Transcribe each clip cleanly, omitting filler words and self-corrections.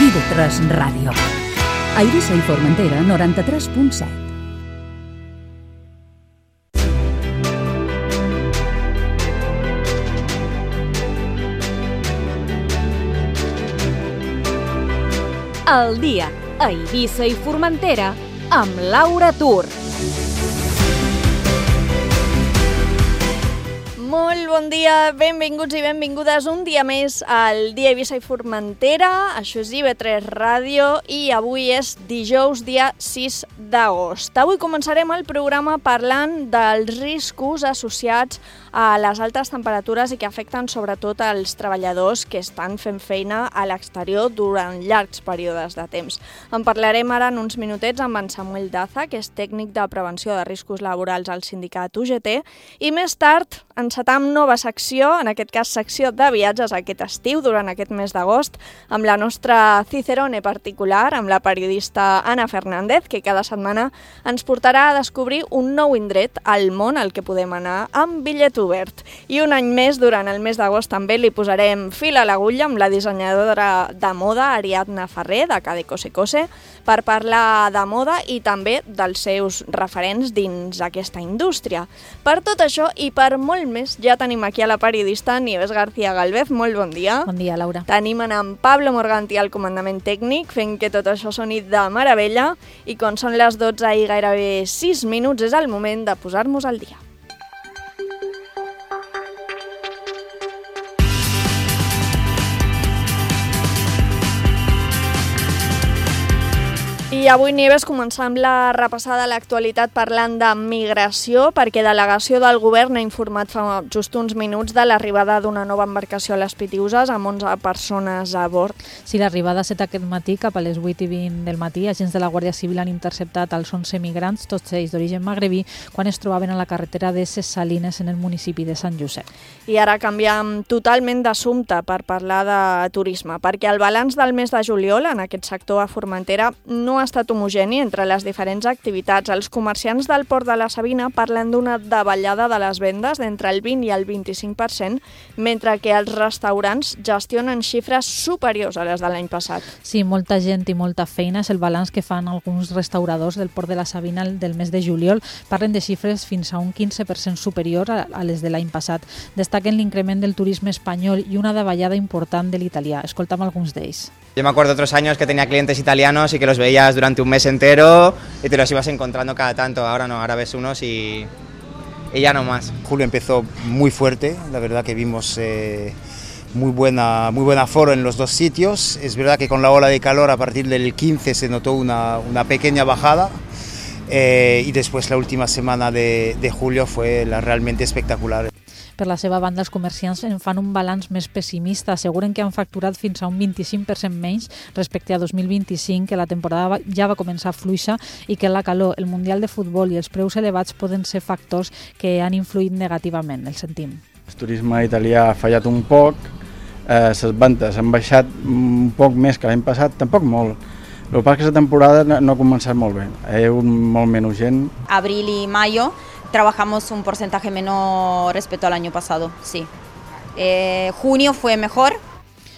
IB3 Ràdio. A Eivissa i Formentera, 93.7. El dia a Eivissa i Formentera amb Laura Tur. Molt bon dia, benvinguts i benvingudes un dia més al dia Eivissa i Formentera. Això és IB3 Ràdio i avui és dijous, dia 6 d'agost. Avui començarem el programa parlant dels riscos associats a les altes temperatures i que afecten sobretot als treballadors que estan fent feina a l'exterior durant llargs períodes de temps. En parlarem ara en uns minutets amb en Samuel Daza, que és tècnic de prevenció de riscos laborals al sindicat UGT, i més tard encetam nova secció, en aquest cas secció de viatges aquest estiu, durant aquest mes d'agost, amb la nostra Cicerone particular, amb la periodista Anna Fernández, que cada setmana ens portarà a descobrir un nou indret al món al que podem anar amb bitllet obert. I un any més, durant el mes d'agost, també li posarem fil a l'agulla amb la dissenyadora de moda Ariadna Ferrer, de Cade Cose Cose, per parlar de moda i també dels seus referents dins aquesta indústria. Per tot això i per molt més, ja tenim aquí a la periodista Nieves García Galvez. Molt bon dia. Bon dia, Laura. Tenim en Pablo Morganti al comandament tècnic, fent que tot això soni de meravella, i quan són les 12 i gairebé 6 minuts és el moment de posar-nos al dia. I avui, Nieves, començam la repassada a l'actualitat parlant de migració, perquè delegació del govern ha informat fa just uns minuts de l'arribada d'una nova embarcació a les Pitiüses amb 11 persones a bord. Sí, l'arribada ha estat aquest matí, cap a les 8:20 del matí. Agents de la Guàrdia Civil han interceptat els 11 migrants, tots ells d'origen magrebí, quan es trobaven a la carretera de Ses Salines, en el municipi de Sant Josep. I ara canviem totalment d'assumpte per parlar de turisme, perquè el balanç del mes de juliol en aquest sector a Formentera no ha estat homogeni entre les diferents activitats. Els comerciants del Port de la Sabina parlen d'una davallada de les vendes d'entre el 20 i el 25%, mentre que els restaurants gestionen xifres superiors a les de l'any passat. Sí, molta gent i molta feina és el balanç que fan alguns restauradors del Port de la Sabina del mes de juliol. Parlen de xifres fins a un 15% superior a les de l'any passat. Destaquen l'increment del turisme espanyol i una davallada important de l'italià. Escoltam alguns d'ells. Yo me acuerdo otros años que tenía clientes italianos y que los veías durante un mes entero y te los ibas encontrando cada tanto. Ahora no, ahora ves unos y ya no más. Julio empezó muy fuerte, la verdad que vimos muy buen aforo en los dos sitios. Es verdad que con la ola de calor a partir del 15 se notó una pequeña bajada y después la última semana de julio fue realmente espectacular. Per la seva banda, els comerciants en fan un balanç més pessimista. Asseguren que han facturat fins a un 25% menys respecte a 2025, que la temporada ja va començar fluixa i que la calor, el Mundial de Futbol i els preus elevats poden ser factors que han influït negativament. El sentim. El turisme italià ha fallat un poc, les vendes han baixat un poc més que l'any passat, tampoc molt. El que passa és que aquesta temporada no ha començat molt bé, hi ha hagut molt menys gent. Abril y mayo trabajamos un porcentaje menor respecto al año pasado, sí. Junio fue mejor.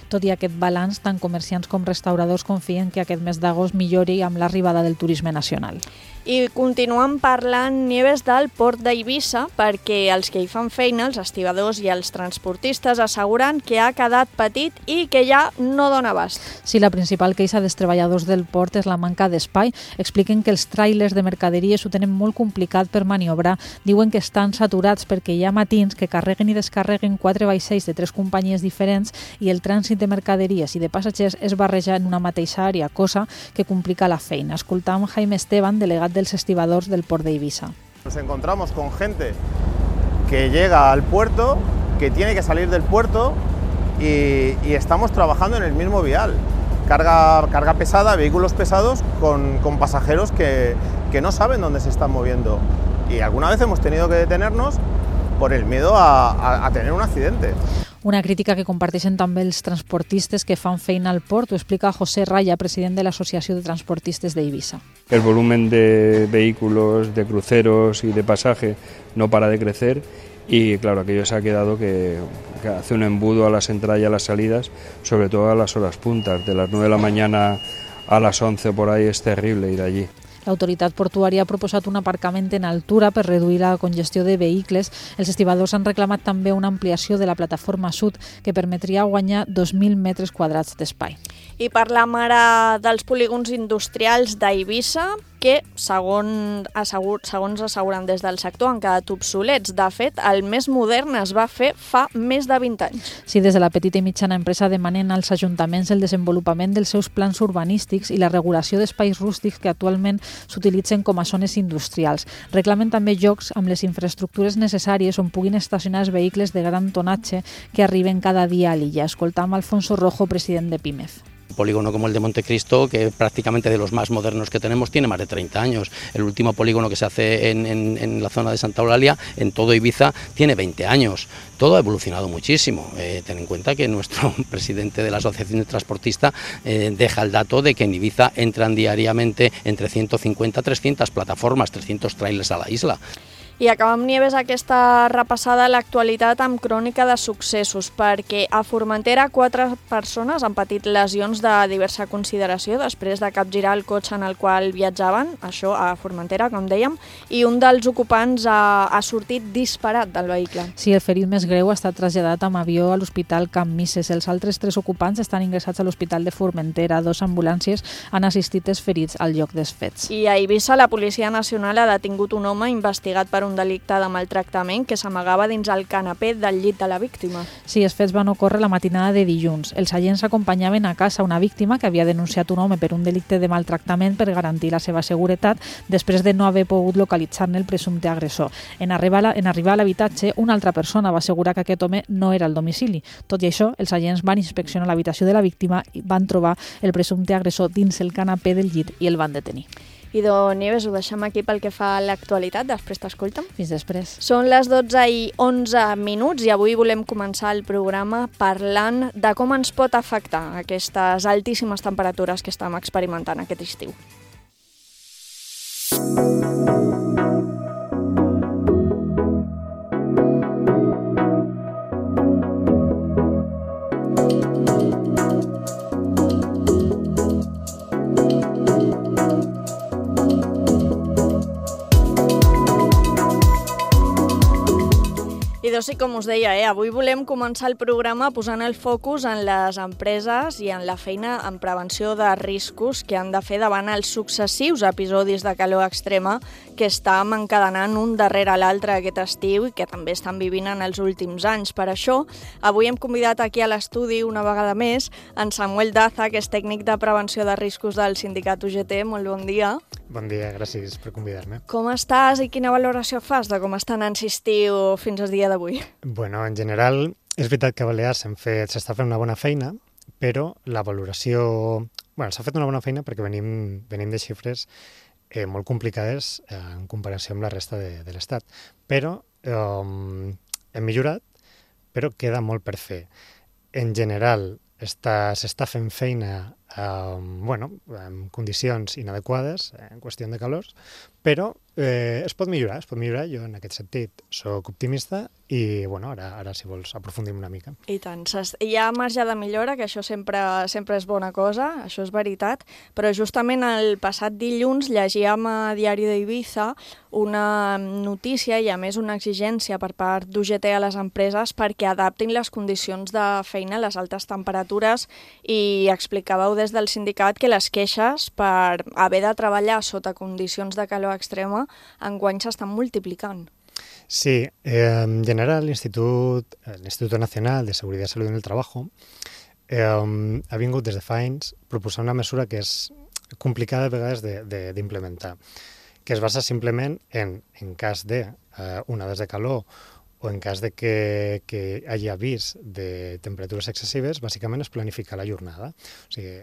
Tot i aquest balanç, tant comerciants com restauradors confien que aquest mes d'agost millori amb l'arribada del turisme nacional. I continuem parlant, Nieves, del Port d'Eivissa, perquè els que hi fan feina, els estibadors i els transportistes, asseguren que ha quedat petit i que ja no dona abast. Sí, la principal queixa dels treballadors del port és la manca d'espai. Expliquen que els tràilers de mercaderies ho tenen molt complicat per maniobrar. Diuen que estan saturats perquè hi ha matins que carreguen i descarreguen 4 vaixells de 3 companyies diferents i el trànsit de mercaderies i de passatgers es barreja en una mateixa àrea, cosa que complica la feina. Escoltam Jaime Esteban, delegat dels estibadors del Port d'Eivissa. Nos encontramos con gente que llega al puerto, que tiene que salir del puerto y estamos trabajando en el mismo vial. Carga pesada, vehículos pesados con pasajeros que no saben dónde se están moviendo. Y alguna vez hemos tenido que detenernos por el miedo a tener un accidente. Una crítica que comparteixen també els transportistes que fan feina al port. Ho explica José Raya, president de l'Associació de Transportistes d'Eivissa. El volumen de vehículos, de cruceros y de pasaje no para de crecer y claro, aquello se ha quedado que que hace un embudo a la entradas y a las salidas, sobre todo a las horas puntas, de las 9 de la mañana a las 11 por ahí es terrible ir allí. L'autoritat portuària ha proposat un aparcament en altura per reduir la congestió de vehicles. Els estibadors han reclamat també una ampliació de la plataforma sud que permetria guanyar 2.000 metres quadrats d'espai. I parlam ara dels polígons industrials d'Eivissa, que, segons asseguren des del sector, han quedat obsolets. De fet, el més modern es va fer fa més de 20 anys. Sí, des de la petita i mitjana empresa demanen als ajuntaments el desenvolupament dels seus plans urbanístics i la regulació d'espais rústics que actualment s'utilitzen com a zones industrials. Reclamen també llocs amb les infraestructures necessàries on puguin estacionar els vehicles de gran tonatge que arriben cada dia a l'illa. Escoltam Alfonso Rojo, president de PIMEF. Un polígono como el de Montecristo, que prácticamente de los más modernos que tenemos, tiene más de 30 años. El último polígono que se hace en la zona de Santa Eulalia, en todo Ibiza, tiene 20 años. Todo ha evolucionado muchísimo. Ten en cuenta que nuestro presidente de la Asociación de Transportistas deja el dato de que en Ibiza entran diariamente entre 150 a 300 plataformas, 300 trailers a la isla. I acabem, Nieves, aquesta repassada a l'actualitat amb crònica de successos, perquè a Formentera 4 persones han patit lesions de diversa consideració després de capgirar el cotxe en el qual viatjaven, això a Formentera, com dèiem, i un dels ocupants ha sortit disparat del vehicle. Sí, el ferit més greu ha estat traslladat amb avió a l'Hospital Camp Misses. Els altres 3 ocupants estan ingressats a l'Hospital de Formentera. 2 ambulàncies han assistit els ferits al lloc dels fets. I a Eivissa, la Policia Nacional ha detingut un home investigat per un delicte de maltractament que s'amagava dins el canapé del llit de la víctima. Sí, els fets van ocórrer la matinada de dilluns. Els agents acompanyaven a casa una víctima que havia denunciat un home per un delicte de maltractament per garantir la seva seguretat després de no haver pogut localitzar-ne el presumpte agressor. En arribar a l'habitatge, una altra persona va assegurar que aquest home no era al domicili. Tot i això, els agents van inspeccionar l'habitació de la víctima i van trobar el presumpte agressor dins el canapé del llit i el van detenir. I Nieves, ho deixem aquí pel que fa a l'actualitat, després t'escolta'm. Fins després. Són les 12:11 i avui volem començar el programa parlant de com ens pot afectar aquestes altíssimes temperatures que estem experimentant aquest estiu. I com us deia, avui volem començar el programa posant el focus en les empreses i en la feina en prevenció de riscos que han de fer davant els successius episodis de calor extrema que estan encadenant un darrere l'altre aquest estiu i que també estan vivint en els últims anys. Per això, avui hem convidat aquí a l'estudi una vegada més en Samuel Daza, que és tècnic de prevenció de riscos del sindicat UGT. Molt bon dia. Bon dia, gràcies per convidar-me. Com estàs i quina valoració fas de com està anant estiu fins al dia d'avui? Bueno, en general, és veritat que a Balears s'està fent una bona feina, però la valoració... Bueno, s'ha fet una bona feina perquè venim de xifres molt complicades en comparació amb la resta de l'Estat. Però hem millorat, però queda molt per fer. En general, s'està fent feina en condicions inadequades, en qüestió de calors, però es pot millorar. Jo en aquest sentit soc optimista i ara si vols aprofundim una mica. I tant, hi ha marge de millora, que això sempre és bona cosa, això és veritat, però justament el passat dilluns llegíem a Diari d'Eivissa una notícia i a més una exigència per part d'UGT a les empreses perquè adaptin les condicions de feina a les altes temperatures i explicàveu des del sindicat que les queixes per haver de treballar sota condicions de calor extrema enguany s'estan multiplicant. Sí, en general l'Instituto Nacional de Seguridad y Salud en el Trabajo ha vingut des de fa anys proposant una mesura que és complicada a vegades d'implementar, que es basa simplement en cas de onades de calor o en cas de que hi hagi avís de temperatures excessives, bàsicament és planificar la jornada. O sigui,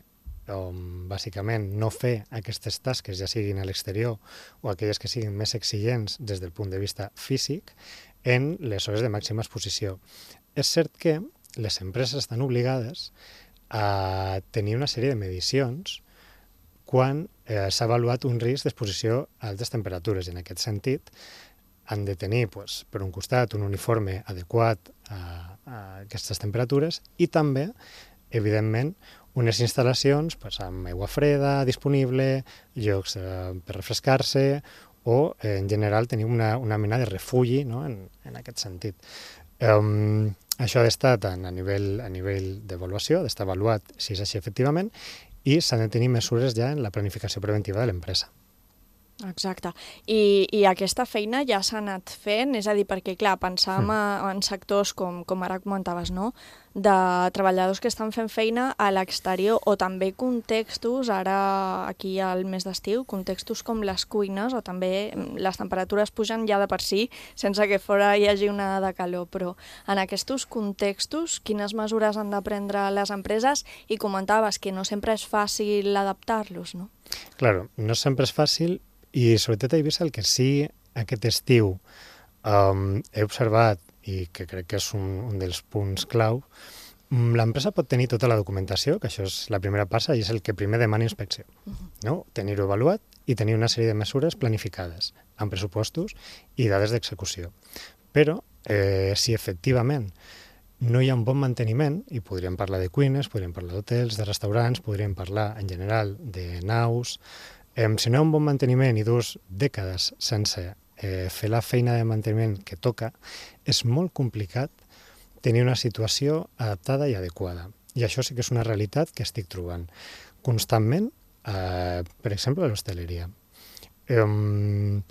bàsicament no fer aquestes tasques, ja siguin a l'exterior o aquelles que siguin més exigents des del punt de vista físic, en les hores de màxima exposició. És cert que les empreses estan obligades a tenir una sèrie de medicions quan s'ha avaluat un risc d'exposició a altes temperatures. I en aquest sentit han de tenir, per un costat, un uniforme adequat aquestes temperatures i també, evidentment, unes instal·lacions amb aigua freda disponible, llocs per refrescar-se o, en general, tenir una mena de refugi, no?, en aquest sentit. Això ha d'estar tant a nivell d'avaluació, d'estar avaluat si és així efectivament, i s'han de tenir mesures ja en la planificació preventiva de l'empresa. Exacte. I aquesta feina ja s'ha anat fent, és a dir, perquè, clar, pensàvem en sectors, com ara comentaves, no?, de treballadors que estan fent feina a l'exterior, o també contextos, ara aquí al mes d'estiu, contextos com les cuines, o també les temperatures pugen ja de per si, sense que fora hi hagi una de calor, però en aquests contextos, quines mesures han de prendre les empreses? I comentaves que no sempre és fàcil adaptar-los, no? Claro, no sempre és fàcil, i sobretot a Eivissa el que sí aquest estiu he observat i que crec que és un dels punts clau, l'empresa pot tenir tota la documentació, que això és la primera passa i és el que primer demana inspecció, no? Tenir-ho avaluat i tenir una sèrie de mesures planificades amb pressupostos i dades d'execució. Però si efectivament no hi ha un bon manteniment, i podríem parlar de cuines, podríem parlar d'hotels, de restaurants, podríem parlar en general de naus. Si no hi ha un bon manteniment i 2 dècades sense fer la feina de manteniment que toca, és molt complicat tenir una situació adaptada i adequada. I això sí que és una realitat que estic trobant constantment, per exemple, a l'hostaleria. En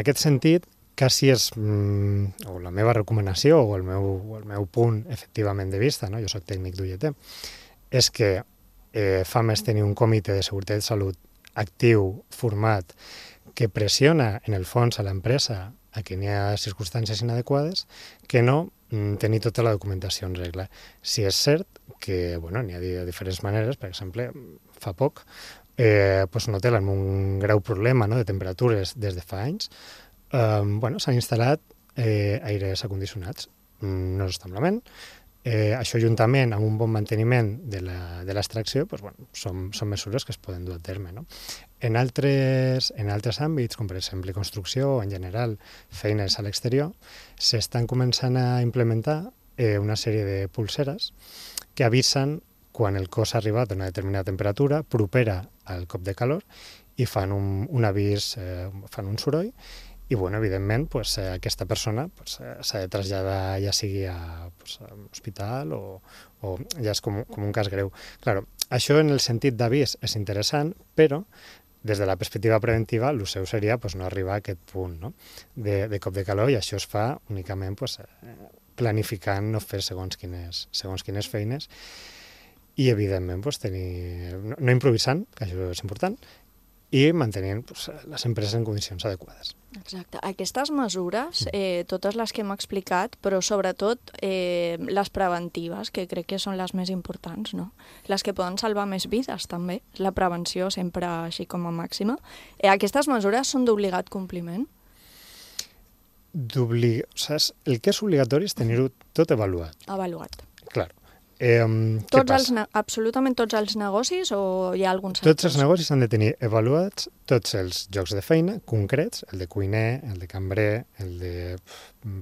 aquest sentit, quasi és o la meva recomanació o el meu punt efectivament de vista, no? Jo soc tècnic d'UGT, és que fa més tenir un comitè de seguretat i salut actiu, format, que pressiona en el fons a l'empresa a que n'hi ha circumstàncies inadequades, que no tenir tota la documentació en regla. Si és cert que n'hi ha de diferents maneres, per exemple, fa poc un hotel amb un greu problema de temperatures des de fa anys, s'han instal·lat aires acondicionats. No està malament. Això juntament amb un bon manteniment de l'extracció són mesures que es poden dur a terme. No? En altres àmbits, com per exemple construcció o en general feines a l'exterior, s'estan començant a implementar una sèrie de pulseres que avisen quan el cos ha arribat a una determinada temperatura propera al cop de calor i fan un avís, fan un soroll. I, evidentment, aquesta persona s'ha de traslladar ja sigui a l'hospital o ja és com un cas greu. Claro, això en el sentit d'avís és interessant, però des de la perspectiva preventiva el seu seria no arribar a aquest punt de cop de calor, i això es fa únicament planificant no fer segons quines feines i, evidentment, no improvisant, que això és important, i mantenint les empreses en condicions adequades. Exacte. Aquestes mesures, totes les que hem explicat, però sobretot les preventives, que crec que són les més importants, no? Les que poden salvar més vides, també. La prevenció sempre així com a màxima. Aquestes mesures són d'obligat compliment? El que és obligatori és tenir-ho tot avaluat. Avaluat. Clar. Absolutament tots els negocis o hi ha alguns sectors? Tots els negocis han de tenir avaluats tots els llocs de feina concrets, el de cuiner, el de cambrer, el de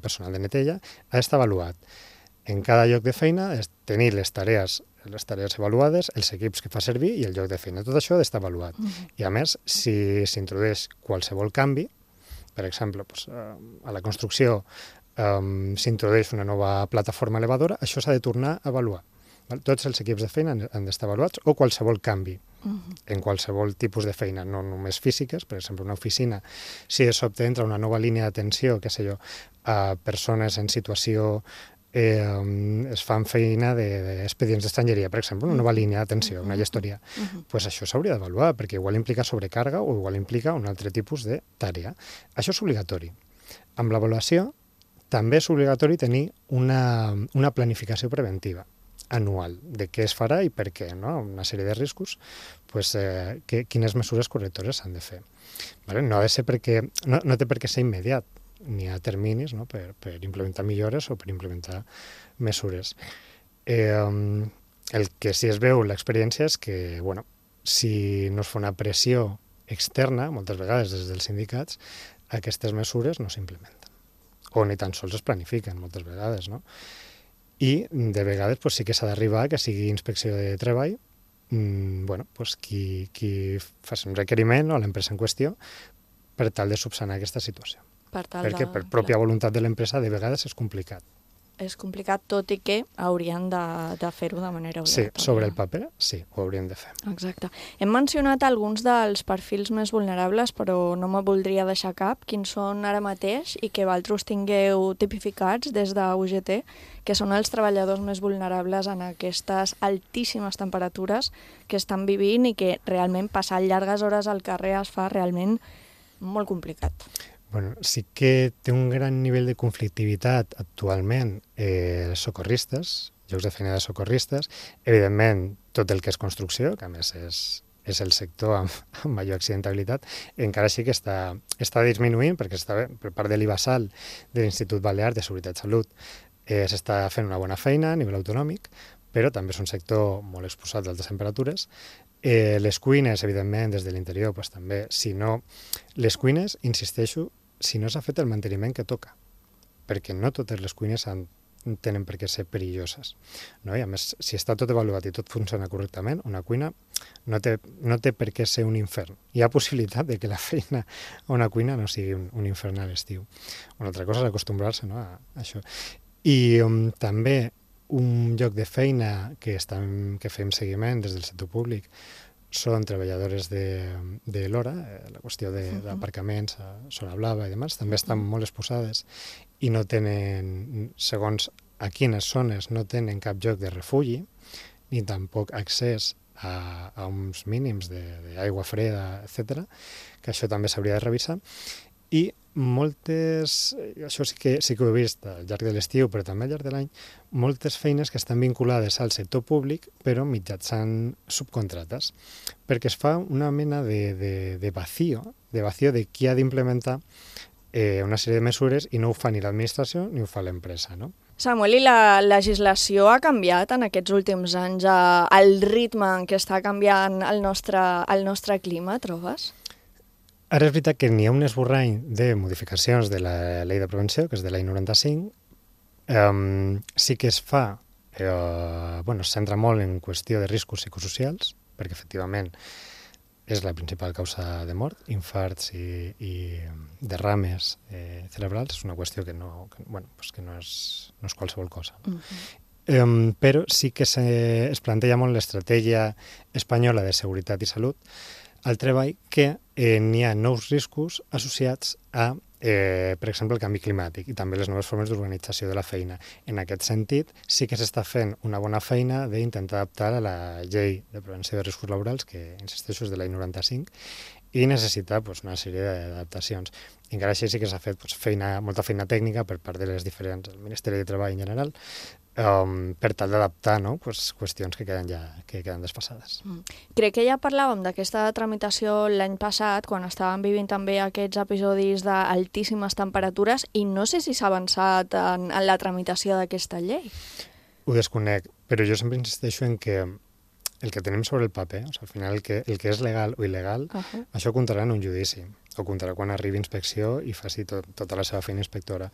personal de neteja, ha d'estar avaluat. En cada lloc de feina és tenir les tarees avaluades, els equips que fa servir i el lloc de feina. Tot això ha d'estar avaluat. I a més, si s'introdueix qualsevol canvi, per exemple, a la construcció s'introdueix una nova plataforma elevadora, això s'ha de tornar a avaluar. Tots els equips de feina han d'estar avaluats, o qualsevol canvi en qualsevol tipus de feina, no només físiques. Per exemple, una oficina, si de sobte entra una nova línia d'atenció, a persones en situació, es fan feina d'expedients d'estrangeria, per exemple, una nova línia d'atenció, una gestoria, això s'hauria d'avaluar, perquè igual implica sobrecàrrega o igual implica un altre tipus de tàrea. Això és obligatori. Amb l'avaluació també és obligatori tenir una planificació preventiva anual de què es farà i per què, no? Una sèrie de riscos, quines mesures correctores s'han de fer. No ha de ser no té per què ser immediat, n'hi ha terminis per implementar millores o per implementar mesures. El que sí es veu l'experiència és que, si no es fa una pressió externa, moltes vegades des dels sindicats, aquestes mesures no s'implementen. O ni tan sols es planifiquen moltes vegades, no? i de vegades pues, sí que s'ha d'arribar que sigui inspecció de treball, bueno, pues, qui faci un requeriment a l'empresa en qüestió per tal de subsanar aquesta situació. Perquè per pròpia voluntat de l'empresa de vegades és complicat. És complicat, tot i que haurien de fer-ho de manera obligatòria. Sí, sobre el paper, sí, ho haurien de fer. Exacte. Hem mencionat alguns dels perfils més vulnerables, però no me voldria deixar cap. Quins són ara mateix i que vosaltres tingueu tipificats des de UGT, que són els treballadors més vulnerables en aquestes altíssimes temperatures que estan vivint i que realment passar llargues hores al carrer es fa realment molt complicat. Bueno, sí que té un gran nivell de conflictivitat actualment socorristes, llocs de feina de socorristes, evidentment tot el que és construcció, que a més és el sector amb major accidentabilitat, encara sí que està disminuint perquè està per part de l'IBASAL, de l'Institut Balear de Seguretat i Salut, s'està fent una bona feina a nivell autonòmic, però també és un sector molt exposat d'altes temperatures. Les cuines, evidentment, des de l'interior, doncs, també, si no... Les cuines, insisteixo, si no s'ha fet el manteniment que toca, perquè no totes les cuines tenen per què ser perilloses. No? I a més, si està tot avaluat i tot funciona correctament, una cuina no té per què ser un infern. Hi ha possibilitat de que la feina a una cuina no sigui un infern a l'estiu. Una altra cosa és acostumbrar-se, no, a això. I també un lloc de feina que fem seguiment des del sector públic són treballadores de l'hora, la qüestió d'aparcaments a zona blava i demás, també estan molt exposades i no tenen, segons a quines zones, no tenen cap lloc de refugi ni tampoc accés a uns mínims d'aigua freda, etc., que això també s'hauria de revisar. I moltes, això sí que ho he vist al llarg de l'estiu, però també al llarg de l'any, moltes feines que estan vinculades al sector públic, però mitjançant subcontrates, perquè es fa una mena de vacío de qui ha d'implementar una sèrie de mesures i no ho fa ni l'administració ni ho fa l'empresa, no? Samuel, i la legislació ha canviat en aquests últims anys el ritme en què està canviant el nostre clima, trobes? Ara és veritat que n'hi ha un esborrany de modificacions de la llei de prevenció, que és de l'any 95. Sí que es fa, es centra molt en qüestió de riscos psicosocials, perquè efectivament és la principal causa de mort, infarts i derrames cerebrals. És una qüestió que no és qualsevol cosa. Però sí que es planteja molt l'estratègia espanyola de seguretat i salut al treball, que n'hi ha nous riscos associats a, per exemple, el canvi climàtic i també les noves formes d'organització de la feina. En aquest sentit, sí que s'està fent una bona feina d'intentar adaptar a la llei de prevenció de riscos laborals, que, insisteixo, és de l'any 95, i necessita una sèrie d'adaptacions. Encara així sí que s'ha fet molta feina tècnica per part del Ministeri de Treball en general, per tal d'adaptar qüestions que queden desfasades. Crec que ja parlàvem d'aquesta tramitació l'any passat, quan estàvem vivint també aquests episodis d'altíssimes temperatures, i no sé si s'ha avançat en la tramitació d'aquesta llei. Ho desconec, però jo sempre insisteixo en que el que tenim sobre el paper, al final el que és legal o il·legal, això comptarà en un judici, o comptarà quan arribi inspecció i faci tota la seva feina inspectora.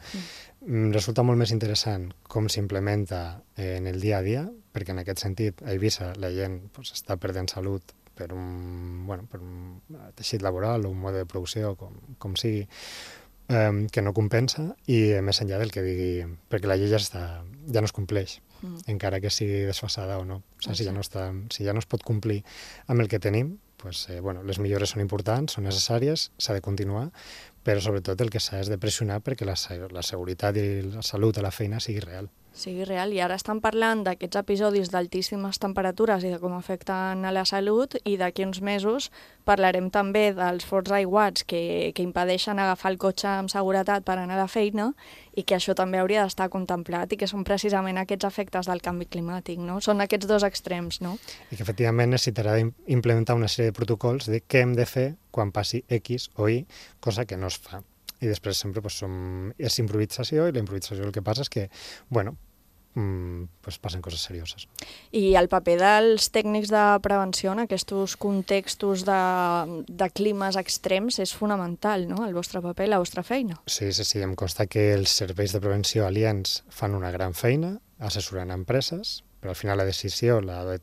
Resulta molt més interessant com s'implementa en el dia a dia, perquè en aquest sentit a Eivissa la gent està perdent salut per un teixit laboral o un mode de producció, com sigui, que no compensa, i més enllà del que digui, perquè la llei ja no es compleix, encara que sigui desfasada o no. Si ja no es pot complir amb el que tenim, les millores són importants, són necessàries, s'ha de continuar, però sobretot el que s'ha és de pressionar perquè la seguretat i la salut a la feina sigui real. I ara estan parlant d'aquests episodis d'altíssimes temperatures i de com afecten a la salut, i d'aquí uns mesos parlarem també dels forts aiguats que impedeixen agafar el cotxe amb seguretat per anar a la feina, i que això també hauria d'estar contemplat, i que són precisament aquests efectes del canvi climàtic, no? Són aquests dos extrems, no? I que efectivament necessitarà implementar una sèrie de protocols de què hem de fer quan passi X o Y, cosa que no es fa. I després sempre és improvisació, i la improvisació el que passa és que, passen coses serioses. I el paper dels tècnics de prevenció en aquests contextos de climes extrems és fonamental, no?, el vostre paper, la vostra feina. Sí, em consta que els serveis de prevenció aliens fan una gran feina, assessorant empreses, però al final la decisió l'ha de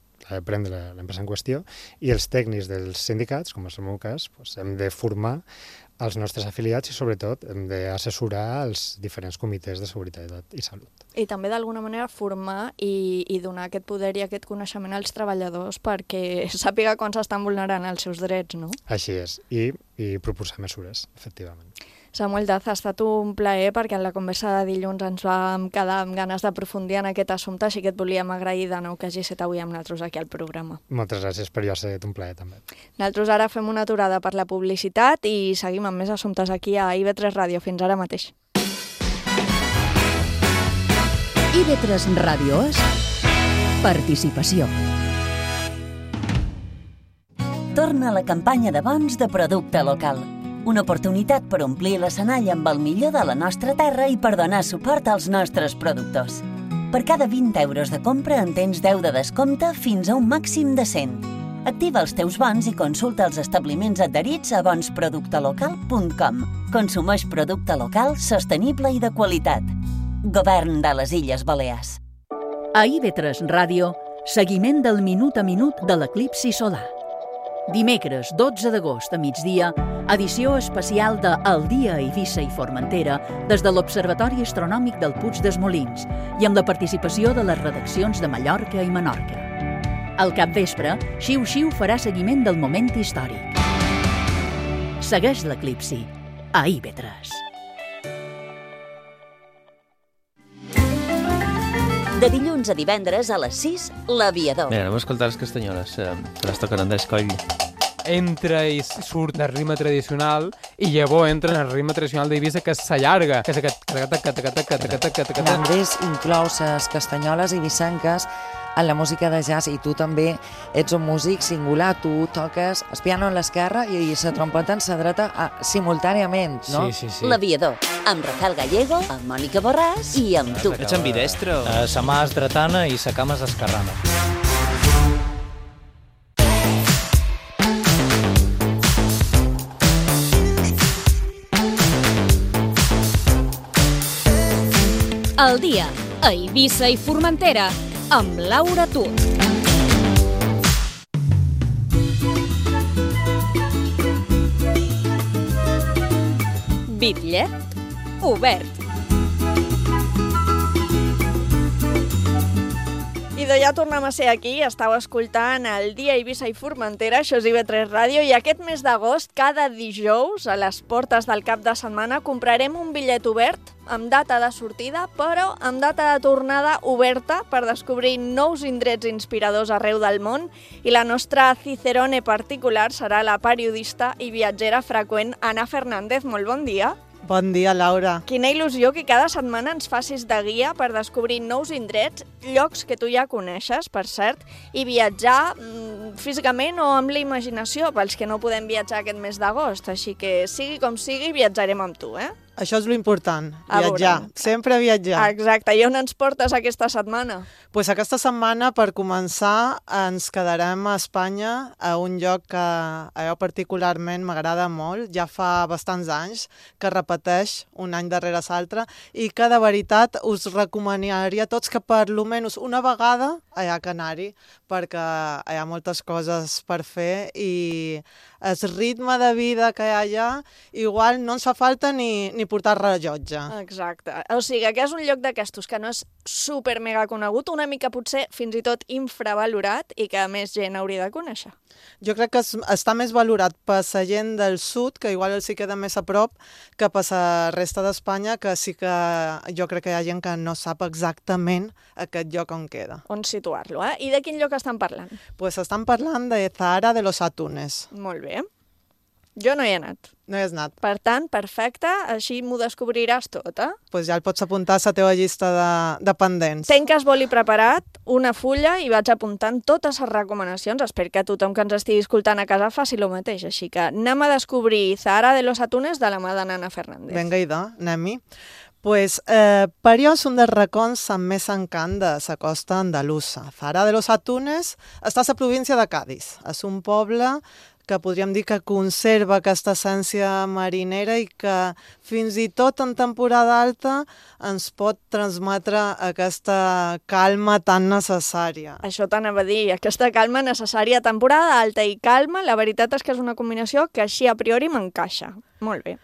prendre l'empresa en qüestió, i els tècnics dels sindicats, com és el meu cas, doncs hem de formar els nostres afiliats i sobretot hem d'assessorar els diferents comitès de seguretat i salut. I també d'alguna manera formar i donar aquest poder i aquest coneixement als treballadors perquè sàpiga quan s'estan vulnerant els seus drets, no? Així és, i proposar mesures, efectivament. Samuel Daz, ha estat un plaer perquè en la conversa de dilluns ens vam quedar amb ganes d'aprofundir en aquest assumpte, així que et volíem agrair de nou que hagis estat avui amb nosaltres aquí al programa. Moltes gràcies, per jo ha estat un plaer també. Nosaltres ara fem una aturada per la publicitat i seguim amb més assumptes aquí a IB3 Ràdio. Fins ara mateix. IB3 Ràdio és participació. Torna la campanya de bons de producte local. Una oportunitat per omplir l'escenari amb el millor de la nostra terra i per donar suport als nostres productors. Per cada 20 euros de compra en tens 10 de descompte fins a un màxim de 100. Activa els teus bons i consulta els establiments adherits a bonsproductelocal.com. Consumeix producte local, sostenible i de qualitat. Govern de les Illes Balears. A IB3 Ràdio, seguiment del minut a minut de l'eclipsi solar. Dimecres 12 d'agost a migdia, edició especial de El dia a Eivissa i Formentera des de l'Observatori Astronòmic del Puig dels Molins i amb la participació de les redaccions de Mallorca i Menorca. Al capvespre, Xiu Xiu farà seguiment del moment històric. Segueix l'eclipsi a IB3. De dilluns a divendres a les 6, l'Aviador. Mira, anem a escoltar les castanyoles, que les toquen Andrés Coll. Entra i surt del ritme tradicional i llavors entra en el ritme tradicional d'Eivissa, que s'allarga, que és aquest... Andrés inclou les castanyoles eivissenques en la música de jazz i tu també ets un músic singular, tu toques el piano en l'esquerra i la trompeta en la dreta simultàniament, no? Sí. L'Aviador, amb Rafael Gallego, amb Mònica Borràs i amb tu. Ets ambidestro? Sa mà és dretana i sa cama és esquerrana. El dia a Eivissa i Formentera amb Laura Tut. Bitllet obert. I ja tornem a ser aquí, estàu escoltant el dia Eivissa i Formentera, això és IB3 Ràdio, i aquest mes d'agost, cada dijous, a les portes del cap de setmana, comprarem un bitllet obert amb data de sortida, però amb data de tornada oberta per descobrir nous indrets inspiradors arreu del món, i la nostra cicerone particular serà la periodista i viatgera freqüent Ana Fernández. Molt bon dia. Bon dia, Laura. Quina il·lusió que cada setmana ens facis de guia per descobrir nous indrets, llocs que tu ja coneixes, per cert, i viatjar físicament o amb la imaginació, pels que no podem viatjar aquest mes d'agost. Així que, sigui com sigui, viatjarem amb tu, eh? Això és l'important, viatjar, sempre viatjar. Exacte, i on ens portes aquesta setmana? Pues aquesta setmana, per començar, ens quedarem a Espanya, a un lloc que a jo particularment m'agrada molt, ja fa bastants anys, que repeteix un any darrere l'altre, i que de veritat us recomanaria a tots que per almenys una vegada allà a anar-hi, perquè hi ha moltes coses per fer i el ritme de vida que hi ha allà, igual no ens fa falta ni portar rellotge. Exacte. O sigui, que és un lloc d'aquestos que no és super mega conegut, una mica potser fins i tot infravalorat i que més gent hauria de conèixer. Jo crec que està més valorat per la gent del sud, que igual els hi queda més a prop, que per la resta d'Espanya, que sí que jo crec que hi ha gent que no sap exactament aquest lloc on queda. On situar-lo, eh? I de quin lloc estan parlant? Pues estan parlant de Zahara de los Atunes. Molt bé. Jo no hi he anat. No hi has anat. Per tant, perfecte, així m'ho descobriràs tot, eh? Pues ja el pots apuntar a la teva llista de pendents. Tenc el boli preparat, una fulla, i vaig apuntant totes les recomanacions. Espero que tothom que ens estigui escoltant a casa faci el mateix. Així que anem a descobrir Zahara de los Atunes de la mà de Nana Fernández. Vinga, idò, anem-hi. Pues, per jo és un dels racons amb més encant de la costa andalusa. Zahara de los Atunes està a la província de Cádiz. És un poble que podríem dir que conserva aquesta essència marinera i que fins i tot en temporada alta ens pot transmetre aquesta calma tan necessària. Això t'anava a dir, aquesta calma necessària, temporada alta i calma, la veritat és que és una combinació que així a priori m'encaixa. Molt bé.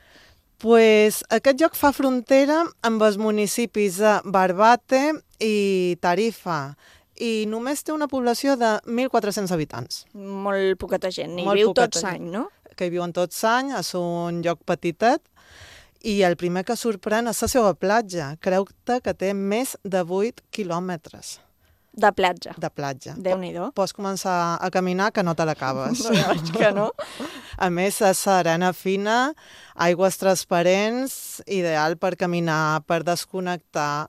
Pues aquest lloc fa frontera amb els municipis de Barbate i Tarifa, i només té una població de 1.400 habitants. Molt poqueta gent, i viu tots any, no? Que hi viuen tots any, és un lloc petitet, i el primer que sorprèn és la seva platja. Creu-te que té més de 8 quilòmetres. De platja? De platja. Déu-n'hi-do. Pots començar a caminar que no te l'acabes. Veig que no. A més, és arena fina, aigües transparents, ideal per caminar, per desconnectar,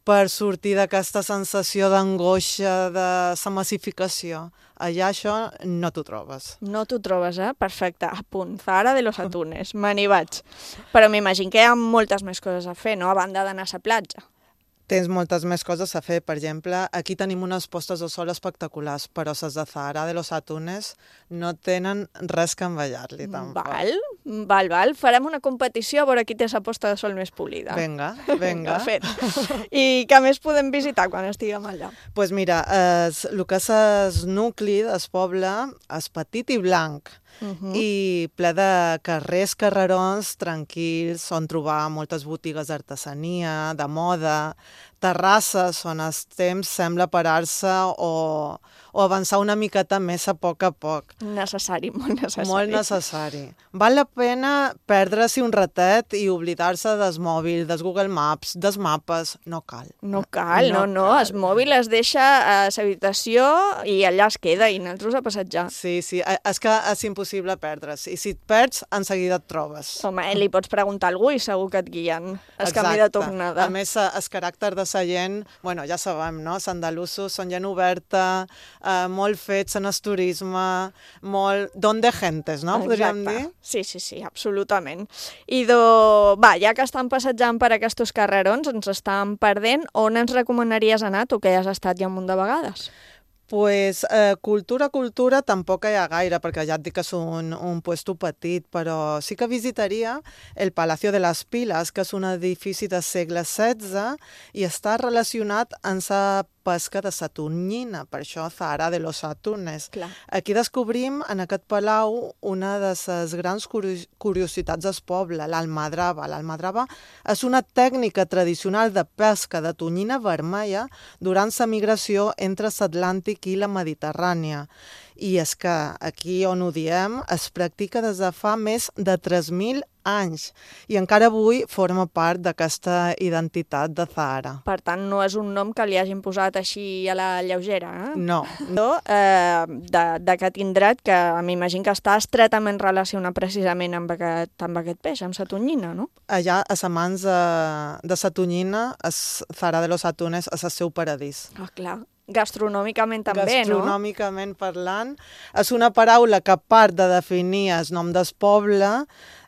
per sortir d'aquesta sensació d'angoixa, de la massificació. Allà això no t'ho trobes. No t'ho trobes, eh? Perfecte. A punt. Zahara de los Atunes. Me n'hi vaig. Però m'imagino que hi ha moltes més coses a fer, no? A banda d'anar a la platja. Tens moltes més coses a fer. Per exemple, aquí tenim unes postes de sol espectaculars, però les de Zahara de los Atunes no tenen res que envellar-li. Val. Farem una competició a veure qui té la posta de sol més polida. Vinga. Fet. I què més podem visitar quan estiguem allà? Doncs mira, el que és el nucli del poble és petit i blanc, i ple de carrerons tranquils, on trobar moltes botigues d'artesania, de moda, terrasses on el temps sembla parar-se o avançar una miqueta més a poc. Necessari, molt necessari. Molt necessari. Val la pena perdre-s'hi un ratet i oblidar-se del mòbil, dels Google Maps, dels mapes. No cal. No cal. El mòbil es deixa a l'habitació i allà es queda i nosaltres a passejar. Sí, és que és impossible perdre's. I si et perds, en seguida et trobes. Home, li pots preguntar a algú i segur que et guien. El camí de tornada. A més, el caràcter de la gent, bueno, ja sabem, no? Els andalusos són gent oberta, molt fets en el turisme, molt don de gentes, no? Podríem dir? Sí, absolutament. I ja que estan passejant per aquests carrerons, ens estan perdent, on ens recomanaries anar, tu que ja has estat ja un munt de vegades? Pues cultura tampoc hi ha gaire, perquè ja et dic que és un puesto petit, però sí que visitaria el Palacio de les Piles, que és un edifici del segle XVI i està relacionat amb la pesca de la tonyina, per això Zahara de los Atunes. Clar. Aquí descobrim en aquest palau una de les grans curiositats del poble, l'almadrava. L'almadrava és una tècnica tradicional de pesca de tonyina vermella durant la migració entre l'Atlàntic i la Mediterrània. I és que aquí on ho diem es practica des de fa més de 3.000 anys i encara avui forma part d'aquesta identitat de Zahara. Per tant, no és un nom que li hagin posat així a la lleugera, eh? No. D'aquest indret que m'imagino que està estretament relacionat precisament amb aquest peix, amb la tonyina, no? Allà, a les mans de la tonyina, Zahara de los Atunes és el seu paradís. Ah, clar. Gastronòmicament també, no? Gastronòmicament parlant, és una paraula que a part de definir el nom del poble,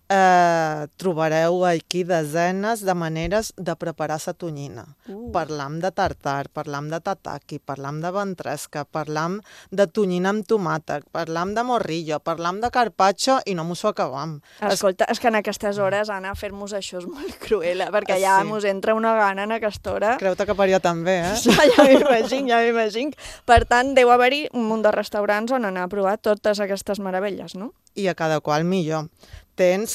trobareu aquí desenes de maneres de preparar la tonyina. Parlam de tartar, parlam de tataki, parlam de ventresca, parlam de tonyina amb tomàquet, parlam de morrillo, parlam de carpaccio i no mos ho acabam. Escolta, és que en aquestes hores anar a fer-nos això és molt cruel, perquè ja mos entra una gana en aquesta hora. Creu-te que per jo també, eh? Ja m'imagino. Per tant, deu haver-hi un munt de restaurants on anar a provar totes aquestes meravelles, no? I a cada qual millor. Tens,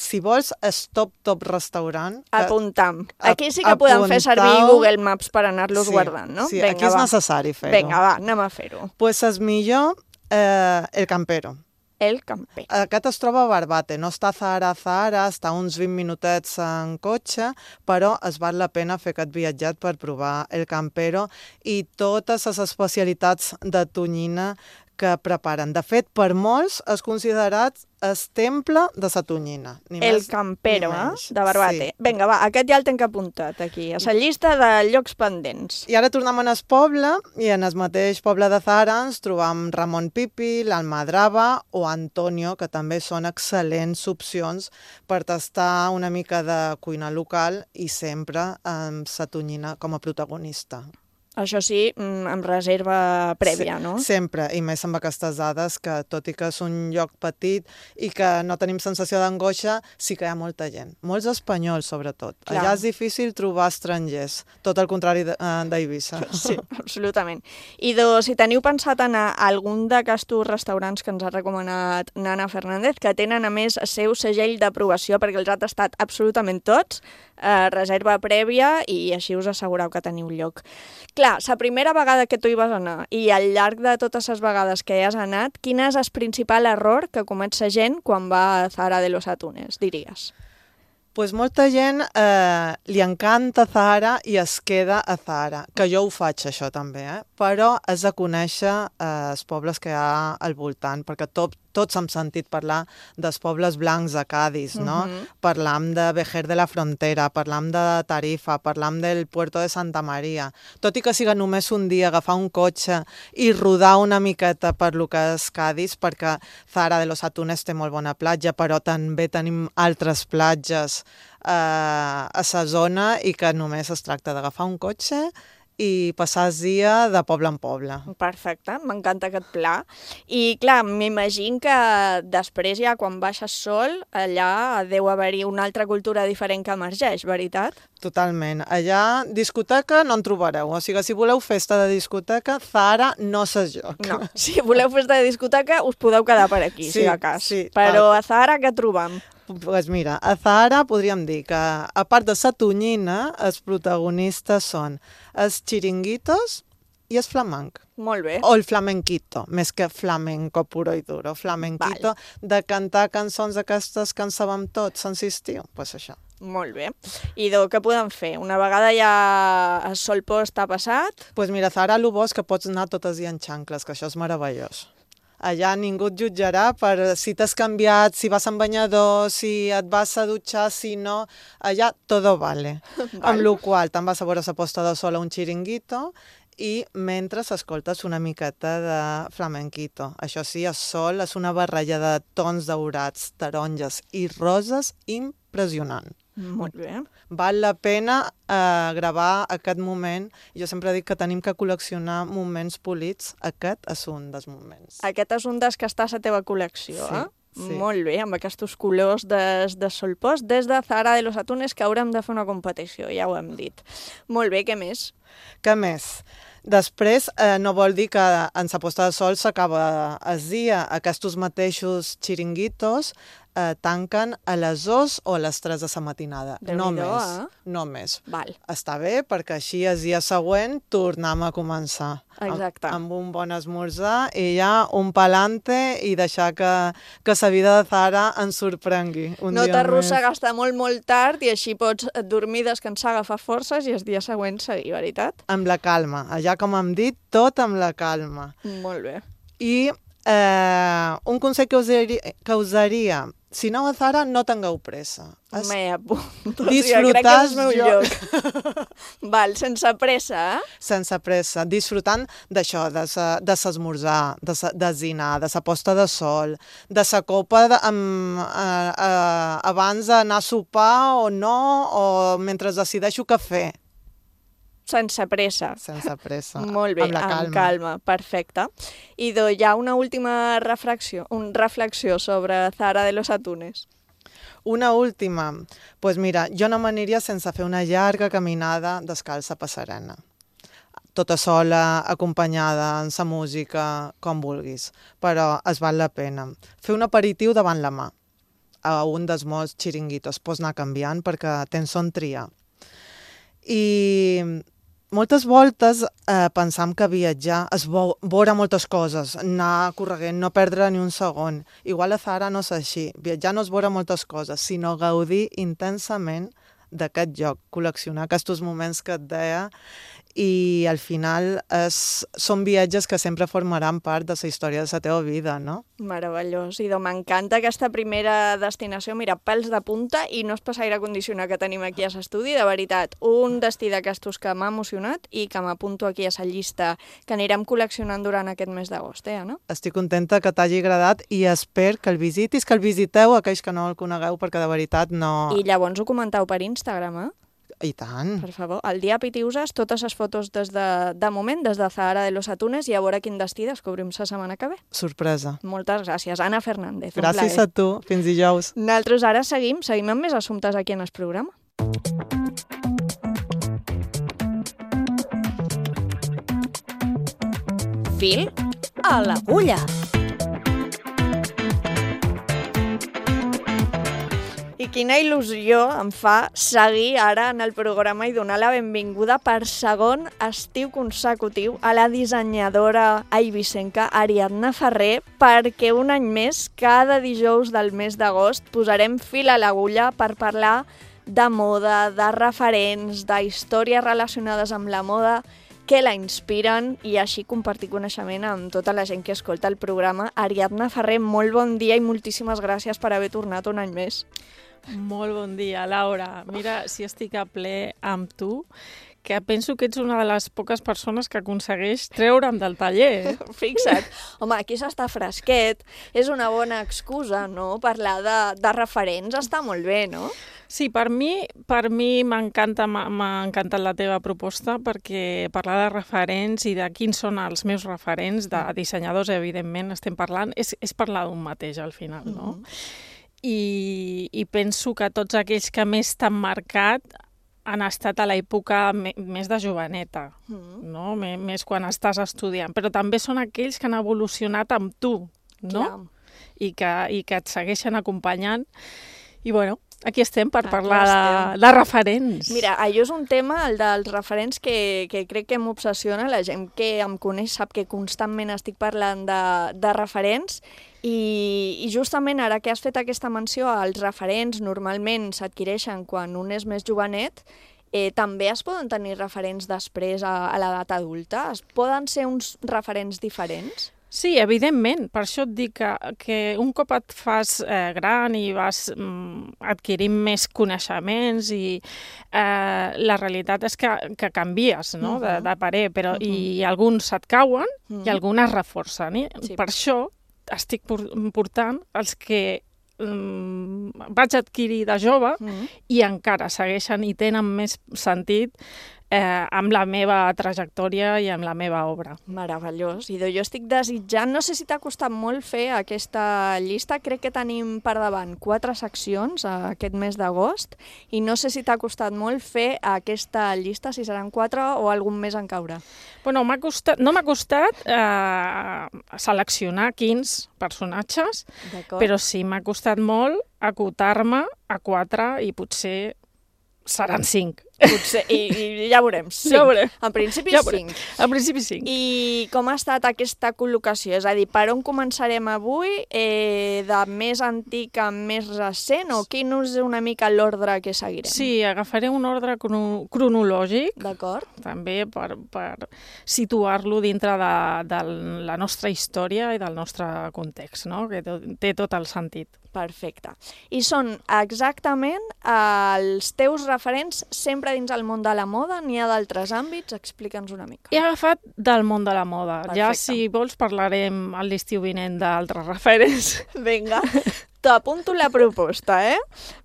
si vols, el top restaurant. Apuntam. Aquí sí que podem fer servir Google Maps per anar-los guardant, no? Sí, aquí és necessari fer-ho. Vinga, va, anem a fer-ho. Pues és millor el Campero. El Campero. Aquest es troba a Barbate, no està a Zahara, està uns 20 minutets en cotxe, però es val la pena fer aquest viatget per provar el Campero i totes les especialitats de tonyina que preparen. De fet, per molts és considerat el temple de la tonyina. El Campero, de Barbate. Sí. Vinga, va, aquest ja el tenc apuntat aquí, a la llista de llocs pendents. I ara tornem al poble, i en el mateix poble de Zahara ens trobam Ramon Pipi, l'Almadrava o Antonio, que també són excel·lents opcions per tastar una mica de cuina local i sempre amb la tonyina com a protagonista. Això sí, amb reserva prèvia, no? Sempre, i més amb aquestes dades que, tot i que és un lloc petit i que no tenim sensació d'angoixa, sí que hi ha molta gent. Molts espanyols, sobretot. Clar. Allà és difícil trobar estrangers, tot el contrari d'Eivissa. Sí, absolutament. I si teniu pensat anar a algun d'aquests restaurants que ens ha recomanat Nana Fernández, que tenen a més el seu segell d'aprovació, perquè els ha tastat absolutament tots, reserva prèvia, i així us assegureu que teniu lloc. Clar, la primera vegada que tu hi vas anar i al llarg de totes les vegades que hi has anat, quin és el principal error que comet la gent quan va a Zahara de los Atunes, diries? Pues molta gent li encanta Zahara i es queda a Zahara, que jo ho faig això també, però has de conèixer els pobles que hi ha al voltant, perquè tots hem sentit parlar dels pobles blancs de Cádiz, no? Parlam de Vejer de la Frontera, parlam de Tarifa, parlam del Puerto de Santa Maria. Tot i que siga només un dia agafar un cotxe i rodar una miqueta per lo que és Cádiz, perquè Zahara de los Atunes té molt bona platja, però també tenim altres platges a la zona i que només es tracta d'agafar un cotxe i passar el dia de poble en poble. Perfecte, m'encanta aquest pla. I clar, m'imagino que després ja quan baixa el sol, allà deu haver-hi una altra cultura diferent que emergeix, veritat? Totalment. Allà discoteca no en trobareu. O sigui, si voleu festa de discoteca, Zahara no és lloc. No, si voleu festa de discoteca us podeu quedar per aquí, si de cas. Sí. Però a Zahara què trobam? Pues mira, a Zahara podríem dir que, a part de la tonyina, els protagonistes són els xiringuitos i el flamenc. Molt bé. O el flamenquito, més que flamenco puro i duro. Flamenquito, de cantar cançons d'aquestes que en sabem tots, sense estiu. Pues això. Molt bé. I què podem fer? Una vegada ja el sol post ha passat? Pues mira, a Zahara el bo és que pots anar tot el dia en xancles, que això és meravellós. Allà ningú et jutjarà per si t'has canviat, si vas en banyador, si et vas a dutxar, si no... Allà todo vale. Amb la qual te'n vas a veure la posta de sol a un xiringuito i mentre escoltes una miqueta de flamenquito. Això sí, el sol és una barreja de tons daurats, taronges i roses impressionant. Molt bé. Val la pena gravar aquest moment. Jo sempre dic que tenim que col·leccionar moments polits. Aquest és un dels moments. Aquest és un dels que està a la teva col·lecció, sí, eh? Sí. Molt bé, amb aquests colors de sol post, des de Zahara de los Atunes, que haurem de fer una competició, ja ho hem dit. Molt bé, què més? Què més? Després, no vol dir que en la posta de sol s'acaba el dia. Aquests mateixos xiringuitos tanquen a les 2 o a les 3 de la matinada. No més. No més. Val. Està bé, perquè així el dia següent tornem a començar. Exacte. Amb un bon esmorzar i ja un palante i deixar que la vida de Zahara ens sorprengui. No t'arrossegues molt tard i així pots dormir, descansar, agafar forces i el dia següent seguir, veritat? Amb la calma. Allà, com hem dit, tot amb la calma. Molt bé. I un consell que us daria, si aneu a Zahara, no tingueu pressa. M'he apuntat. Disfrutar crec que és el meu lloc. Val, sense pressa, eh? Sense pressa, disfrutant d'això, de l'esmorzar, de dinar, de la posta de sol, de la copa abans d'anar a sopar o no, o mentre decideixo què fer. Sense pressa. Sense pressa. Molt bé, amb calma. Perfecte. I hi ha una última reflexió sobre Zahara de los Atunes. Una última. Pues mira, jo no m'aniria sense fer una llarga caminada descalça per Serena. Tota sola, acompanyada, en sa música, com vulguis. Però es val la pena. Fer un aperitiu davant la mà. A un dels molts xiringuitos. Pots anar canviant perquè tens on triar. I moltes voltes pensam que viatjar és veure moltes coses, anar corregent, no perdre ni un segon. Igual a Zahara no és així. Viatjar no és veure moltes coses, sinó gaudir intensament d'aquest lloc, col·leccionar aquests moments que et deia, i al final són viatges que sempre formaran part de la història de la teva vida, no? Meravellós, i m'encanta aquesta primera destinació, mira, pèls de punta i no és pas aire condicionat que tenim aquí a l'estudi, de veritat, un destí d'aquestos que m'ha emocionat i que m'apunto aquí a la llista que anirem col·leccionant durant aquest mes d'agost, no? Estic contenta que t'hagi agradat i espero que el visitis, que el visiteu aquells que no el conegueu, perquè de veritat no... I llavors ho comenteu per Instagram, eh? I tant. Per favor, el dia Pitiuses, totes les fotos de moment, des de Zahara de los Atunes, i a veure quin destí descobrim la setmana que ve. Sorpresa. Moltes gràcies. Anna Fernández. Gràcies a tu. Fins dijous. Nosaltres ara seguim amb més assumptes aquí en el programa. Fil a l'agulla. I quina il·lusió em fa seguir ara en el programa i donar la benvinguda per segon estiu consecutiu a la dissenyadora eivissenca Ariadna Ferrer, perquè un any més, cada dijous del mes d'agost, posarem fil a l'agulla per parlar de moda, de referents, d'històries relacionades amb la moda que la inspiren i així compartir coneixement amb tota la gent que escolta el programa. Ariadna Ferrer, molt bon dia i moltíssimes gràcies per haver tornat un any més. Molt bon dia, Laura. Mira, si estic a ple amb tu, que penso que ets una de les poques persones que aconsegueix treure'm del taller. Fixa't. Home, aquí s'està fresquet. És una bona excusa, no?, parlar de referents. Està molt bé, no? Sí, per mi m'ha encantat la teva proposta, perquè parlar de referents i de quins són els meus referents, de dissenyadors, evidentment, estem parlant, és parlar d'un mateix al final, no? I penso que tots aquells que més t'han marcat han estat a l'època més de joveneta, no? Més quan estàs estudiant, però també són aquells que han evolucionat amb tu, no? I que et segueixen acompanyant. I bueno, aquí estem per parlar de referents. Mira, allò és un tema, el dels referents, que crec que m'obsessiona. La gent que em coneix sap que constantment estic parlant de referents i justament ara que has fet aquesta menció, els referents normalment s'adquireixen quan un és més jovenet. També es poden tenir referents després a l'edat adulta? Poden ser uns referents diferents? Sí, evidentment. Per això et dic que un cop et fas gran i vas adquirint més coneixements i la realitat és que canvies, no?, de parer, però i alguns et cauen i alguns es reforcen. Per això estic portant els que vaig adquirir de jove i encara segueixen i tenen més sentit amb la meva trajectòria i amb la meva obra. Meravellós. I jo estic desitjant, no sé si t'ha costat molt fer aquesta llista, crec que tenim per davant 4 seccions aquest mes d'agost, i no sé si t'ha costat molt fer aquesta llista, si seran 4 o algun més en caure. Bueno, no m'ha costat seleccionar quins personatges, però sí m'ha costat molt acotar-me a 4 i potser seran 5. Potser, i ja veurem. Ja veurem. En principi 5. En principi 5. I com ha estat aquesta col·locació? És a dir, per on començarem avui? De més antic a més recent? O quin és una mica l'ordre que seguirem? Sí, agafaré un ordre cronològic. D'acord. També per situar-lo dintre de la nostra història i del nostre context, no?, que té tot el sentit. Perfecte. I són exactament els teus referents sempre dins el món de la moda? N'hi ha d'altres àmbits? Explica'ns una mica. He agafat del món de la moda. Perfecte. Ja, si vols, parlarem a l'estiu vinent d'altres referents. Vinga, t'apunto la proposta,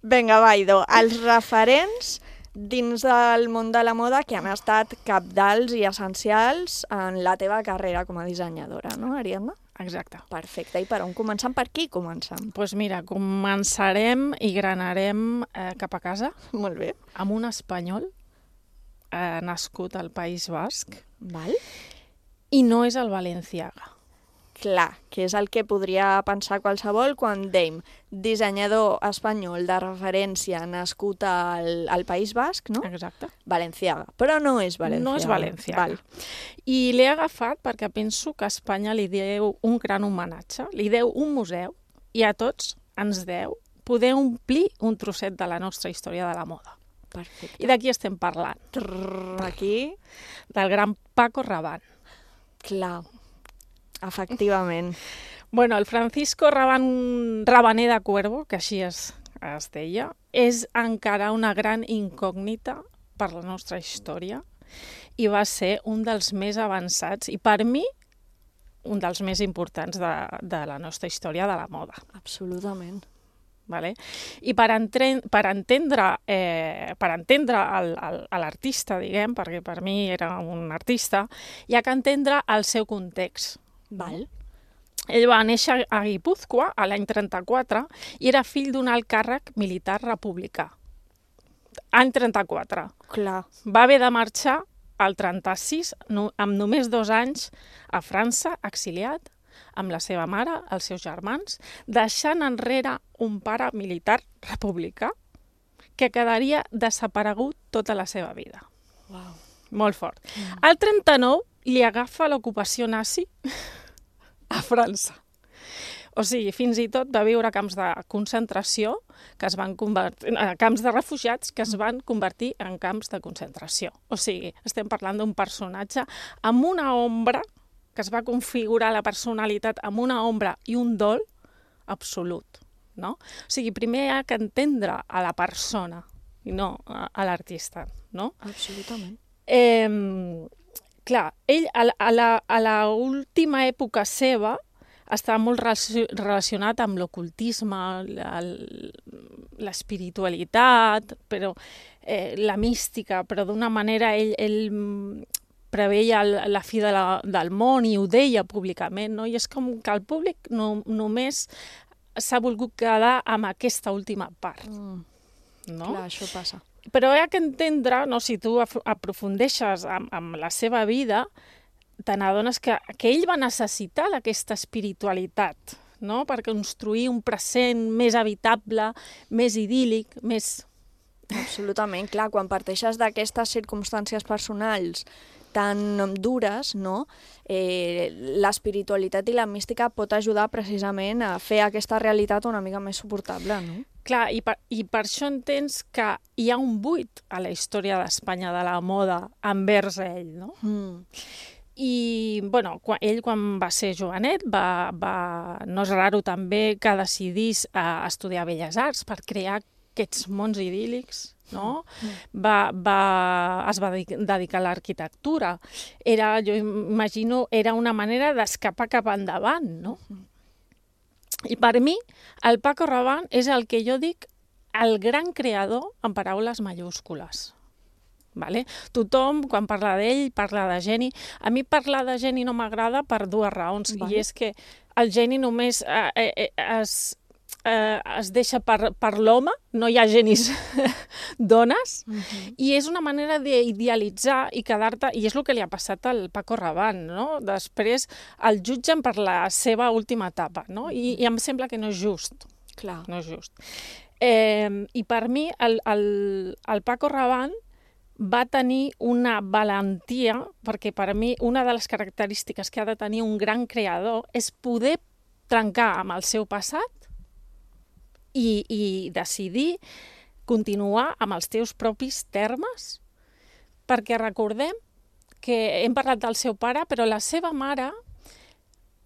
Vinga, Vaido, els referents dins del món de la moda que han estat cabdals i essencials en la teva carrera com a dissenyadora, no, Ariadna? Exacte. Perfecte. I per on comencem? Per qui comencem? Doncs mira, començarem i granarem cap a casa. Molt bé. Amb un espanyol nascut al País Basc. Val. I no és el Balenciaga. Clar, que és el que podria pensar qualsevol quan dèiem dissenyador espanyol de referència nascut al País Basc, no? Exacte. Balenciaga, però no és Balenciaga. No és Balenciaga. I l'he agafat perquè penso que Espanya li deu un gran homenatge, li deu un museu i a tots ens deu poder omplir un trosset de la nostra història de la moda. Perfecte. I d'aquí estem parlant. Aquí? Del gran Paco Rabanne. Clar. Efectivament. Bueno, el Francisco Rabané de Cuervo, que així es deia, és encara una gran incògnita per la nostra història i va ser un dels més avançats i, per mi, un dels més importants de la nostra història de la moda. Absolutament. Vale? I per entendre l'artista, diguem, perquè per mi era un artista, hi ha que entendre el seu context. Val. Ell va néixer a Guipúzcoa l'any 34 i era fill d'un alt càrrec militar republicà. Any 34. Clar. Va haver de marxar al 36, amb només 2 anys, a França, exiliat, amb la seva mare, els seus germans, deixant enrere un pare militar republicà que quedaria desaparegut tota la seva vida. Wow. Molt fort. Al 39 li agafa l'ocupació nazi a França. O sigui, fins i tot va viure a camps de concentració, que es van convertir, camps de refugiats que es van convertir en camps de concentració. O sigui, estem parlant d'un personatge amb una ombra, que es va configurar la personalitat amb una ombra i un dol absolut. No? O sigui, primer hi ha que entendre a la persona i no a l'artista. No? Absolutament. Clar, ell a l'última època seva estava molt relacionat amb l'ocultisme, l'espiritualitat, però la mística, però d'una manera ell preveia la fi del món i ho deia públicament, no? I és com que el públic només s'ha volgut quedar amb aquesta última part. No? Clar, això passa. Però hi ha que entendre, no? Si tu aprofundeixes amb la seva vida, te n'adones que ell va necessitar d'aquesta espiritualitat, no? Per construir un present més habitable, més idíl·lic, més... Absolutament, clar, quan parteixes d'aquestes circumstàncies personals tan dures, no? L'espiritualitat i la mística pot ajudar precisament a fer aquesta realitat una mica més suportable, no? Clar, i per això entens que hi ha un buit a la història d'Espanya de la moda envers ell, no? I, bueno, ell quan va ser jovenet, no és raro també que decidís estudiar Belles Arts per crear aquests mons idíl·lics, no? Es va dedicar a l'arquitectura. Jo imagino, era una manera d'escapar cap endavant, no? I per mi, el Paco Rabanne és el que jo dic el gran creador en paraules majúscules. Vale? Tothom, quan parla d'ell, parla de geni. A mi parlar de geni no m'agrada per 2 raons. Vale. I és que el geni només es deixa per l'home, no hi ha genis dones, i és una manera d'idealitzar i quedar-te, i és el que li ha passat al Paco Rabanne, no? Després el jutgen per la seva última etapa, no? I em sembla que no és just. Clar. No és just. I per mi el Paco Rabanne va tenir una valentia, perquè per mi una de les característiques que ha de tenir un gran creador és poder trencar amb el seu passat i decidir continuar amb els teus propis termes, perquè recordem que hem parlat del seu pare, però la seva mare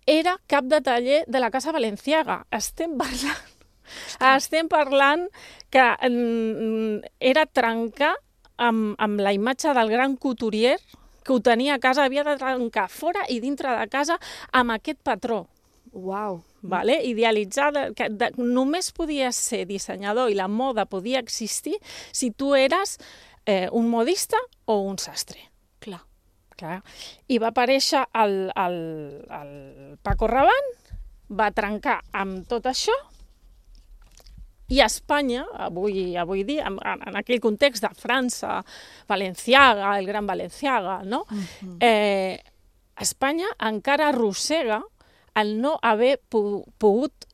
era cap de taller de la Casa Balenciaga. Estem parlant que era trencar amb la imatge del gran couturier que ho tenia a casa, havia de trencar fora i dintre de casa amb aquest patró. Uau! Vale? Idealitzar, que només podies ser dissenyador i la moda podia existir si tu eres un modista o un sastre. Clar. I va aparèixer el Paco Rabanne, va trencar amb tot això, i a Espanya, avui dia, en aquell context de França, Balenciaga, el gran Balenciaga, no? Espanya encara arrossega el no haver pogut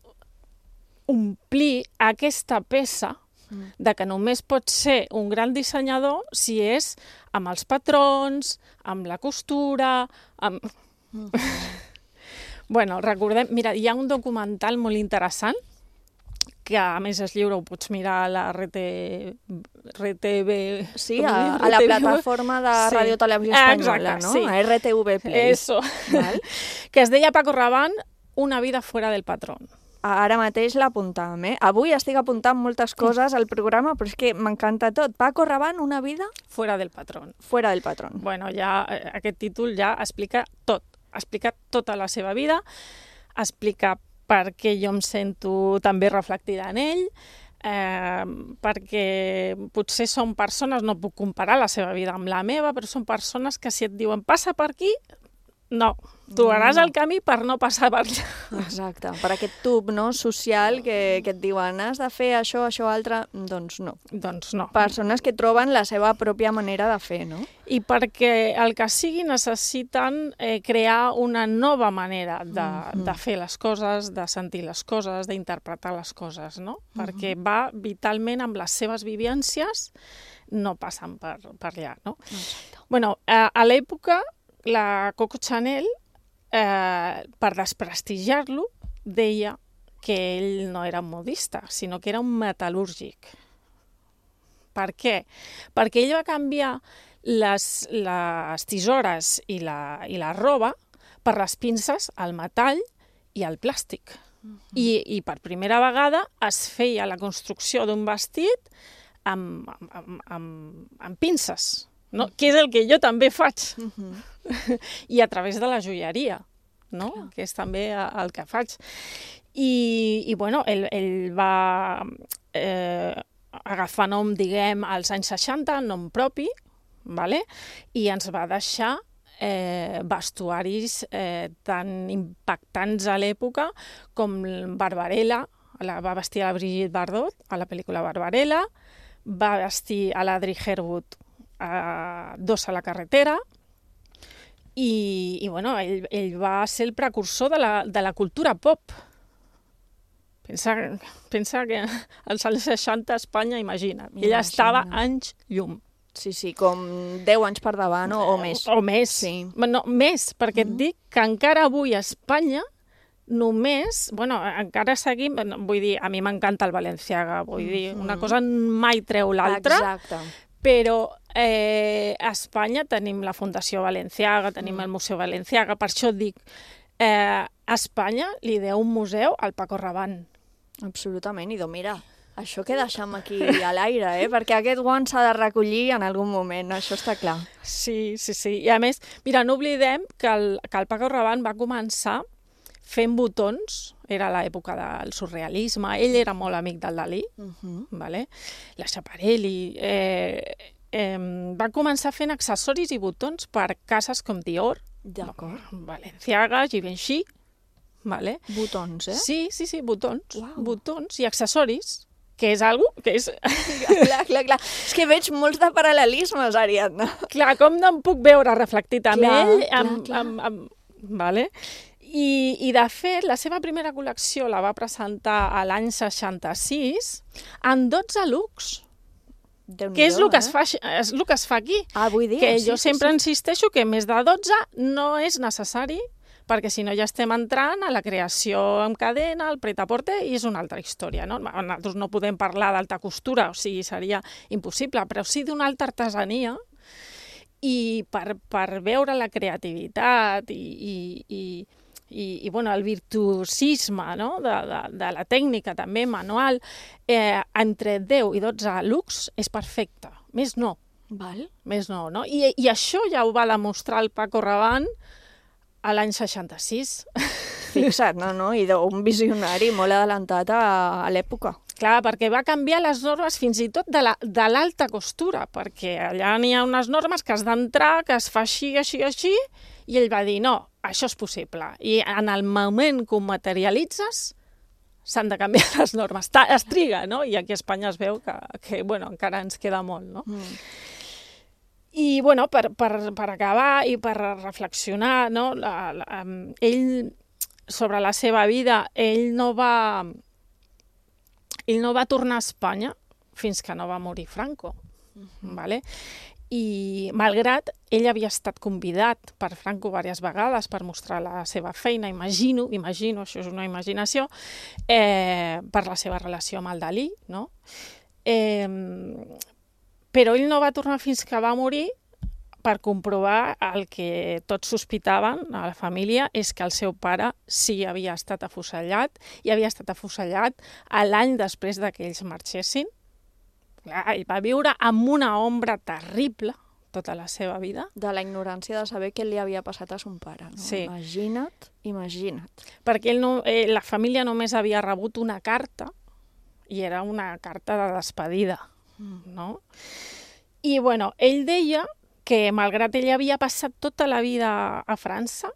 omplir aquesta peça de que només pot ser un gran dissenyador si és amb els patrons, amb la costura, amb... Bueno, recordem, mira, hi ha un documental molt interessant que a més és lliure, ho pots mirar a la RTV... Sí, a la plataforma de Ràdio Televisió Espanyola, no? Sí. A RTV Play. Eso. Que es deia Paco Rabanne, una vida fuera del patrón. Ara mateix l'apuntàvem, Avui estic apuntant moltes coses al programa, però és que m'encanta tot. Paco Rabanne, una vida... Fuera del patrón. Fuera del patrón. Bueno, ja aquest títol ja explica tot. Explica tota la seva vida, explica perquè jo em sento també reflectida en ell, perquè potser són persones, no puc comparar la seva vida amb la meva, però són persones que si et diuen passa per aquí, no, trobaràs el camí per no passar per allà. Exacte, per aquest tub social que et diuen has de fer això, altre, doncs no. Doncs no. Persones que troben la seva pròpia manera de fer, no? I perquè el que sigui necessiten crear una nova manera de fer les coses, de sentir les coses, d'interpretar les coses, no? Perquè va vitalment amb les seves vivències, no passen per allà, no? Bueno, a l'època, la Coco Chanel, per desprestigiar-lo, deia que ell no era un modista, sinó que era un metal·lúrgic. Per què? Perquè ell va canviar les tisores i la roba per les pinces, el metall i el plàstic. I per primera vegada es feia la construcció d'un vestit amb pinces, no? Que és el que jo també faig. I a través de la joieria, no? Que és també el que faig. I bueno, ell va agafar nom, diguem, als anys 60, nom propi, vale? I ens va deixar vestuaris tan impactants a l'època com Barbarella, va vestir a la Brigitte Bardot a la pel·lícula Barbarella, va vestir a l'Audrey Hepburn a Dos a la carretera, i bueno, ell va ser el precursor de la cultura pop. Pensa que als anys 60 a Espanya, imagina, ella estava anys llum. Sí, com 10 anys per davant o més. O més, sí. No, més, perquè et dic que encara avui a Espanya només, bueno, encara seguim, vull dir, a mi m'encanta el Balenciaga, vull dir, una cosa mai treu l'altra. Exacte. Però a Espanya tenim la Fundació Balenciaga, tenim el Museu Balenciaga, per això dic, a Espanya li deu un museu al Paco Rabanne. Absolutament, i mira, això que deixem aquí a l'aire, perquè aquest guant s'ha de recollir en algun moment, això està clar. Sí, i a més, mira, no oblidem que el Paco Rabanne va començar fent botons, era l'època del surrealisme, ell era molt amic del Dalí, vale? La Schiaparelli, va començar fent accessoris i botons per cases com Dior, Balenciaga, Givenchy, vale? Botons, Sí, botons, botons i accessoris, que és algo que és... Clar. És que veig molts de paral·lelismes, Ariadna. Clar, com no em puc veure reflectit amb ell, vale? I, de fet, la seva primera col·lecció la va presentar a l'any 66 en 12 looks, que és el que es fa aquí. Vull dir, que jo sempre insisteixo que més de 12 no és necessari, perquè si no ja estem entrant a la creació en cadena, el pret-a-porter, i és una altra història, no? Nosaltres no podem parlar d'alta costura, o sigui, seria impossible, però sí d'una alta artesania, i per veure la creativitat i bueno, el virtuosisme, no? de la tècnica també manual, entre 10 i 12 looks és perfecte, més no. Més no, no? I això ja ho va demostrar el Paco Rabanne a l'any 66. Fixa't, no? I d'un visionari molt adelantat a l'època. Clar, perquè va canviar les normes fins i tot de l'alta costura, perquè allà n'hi ha unes normes que has d'entrar, que es fa així, i ell va dir, no, això és possible. I en el moment que ho materialitzes, s'han de canviar les normes. Es triga, no? I aquí a Espanya es veu que bueno, encara ens queda molt, no? I, bueno, per acabar i per reflexionar, no? Ell, sobre la seva vida, ell no va tornar a Espanya fins que no va morir Franco, vale? I malgrat ell havia estat convidat per Franco diverses vegades per mostrar la seva feina, imagino, això és una imaginació, per la seva relació amb el Dalí, no? Però ell no va tornar fins que va morir per comprovar el que tots sospitaven a la família, és que el seu pare sí havia estat afusellat, i havia estat afusellat l'any després que ells marxessin. Ell va viure amb una ombra terrible, tota la seva vida. De la ignorància de saber què li havia passat a son pare, no? Sí. Imagina't. Perquè la família només havia rebut una carta, i era una carta de despedida, no? I, bueno, ell deia que, malgrat ell havia passat tota la vida a França,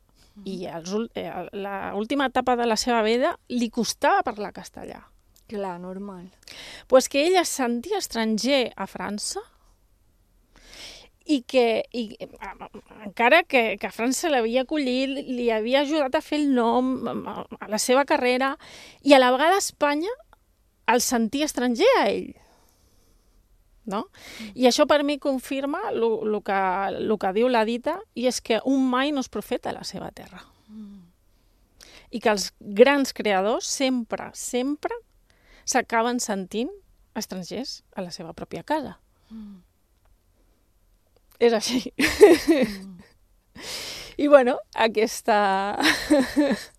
i l'última etapa de la seva vida li costava parlar castellà. Clar, normal. Pues que ell es sentia estranger a França i que encara que a França l'havia acollit, li havia ajudat a fer el nom, a la seva carrera, i a la vegada a Espanya el sentia estranger a ell. No? I això per mi confirma el que diu la dita, i és que un mai no és profeta a la seva terra. I que els grans creadors sempre s'acaben sentint estrangers a la seva pròpia casa. És així. I, bueno, aquesta...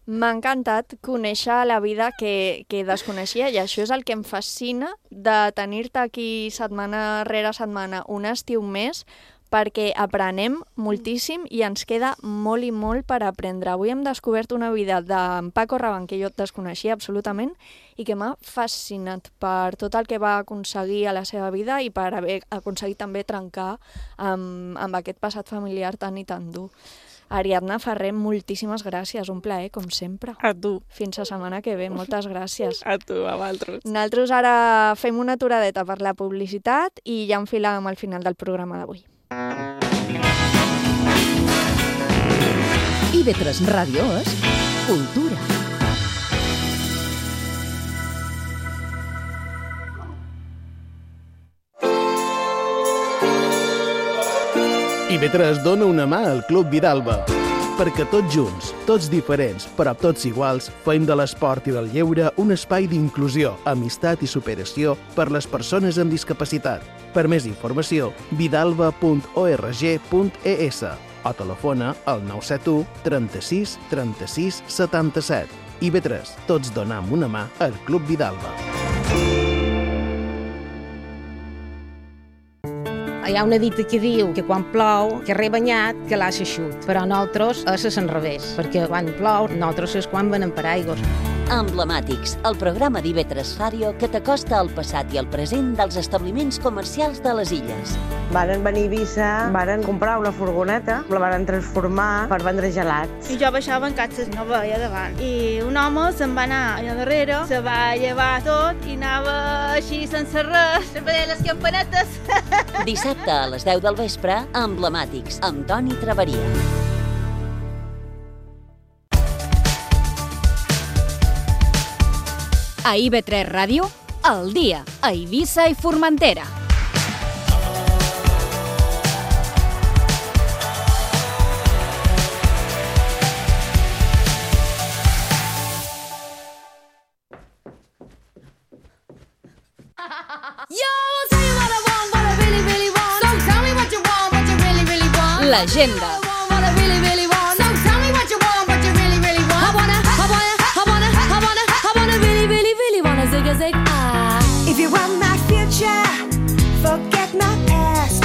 M'ha encantat conèixer la vida que desconeixia, i això és el que em fascina de tenir-te aquí setmana rere setmana, un estiu més, perquè aprenem moltíssim i ens queda molt i molt per aprendre. Avui hem descobert una vida d'en Paco Rabanne que jo desconeixia absolutament i que m'ha fascinat per tot el que va aconseguir a la seva vida i per haver aconseguit també trencar amb aquest passat familiar tan i tan dur. Ariadna Ferrer, moltíssimes gràcies, un plaer, com sempre. A tu. Fins la setmana que ve, moltes gràcies. A tu, a vosaltres. Nosaltres ara fem una aturadeta per la publicitat i ja enfilàvem al final del programa d'avui. IB3 Ràdio és cultura. IB3 dona una mà al Club Vidalba, perquè tots junts, tots diferents, però tots iguals, fem de l'esport i del lleure un espai d'inclusió, amistat i superació per les persones amb discapacitat. Per més informació, vidalba.org.es o telefona al 971 36 36 77. IB3, tots donam una mà al Club Vidalba. Hi ha una dita que diu que quan plou, carrer banyat, que l'ha eixut. Però nosaltres és l'enrevés, perquè quan plou, nosaltres és quan venem per aigües. Emblemàtics, el programa d'IB3 Ràdio que t'acosta al passat i al present dels establiments comercials de les illes. Varen venir a Eivissa, varen comprar una furgoneta, la varen transformar per vendre gelats. I jo baixava en catxes, no veia davant. I un home se'n va anar allà darrere, se va llevar tot i anava així sense res, sempre deia les campanetes. Dissabte a les 10 del vespre, Emblemàtics, amb Toni Traveria. A IB3 Ràdio, al dia, a Eivissa i Formentera. L'agenda. If you want my future, forget my past.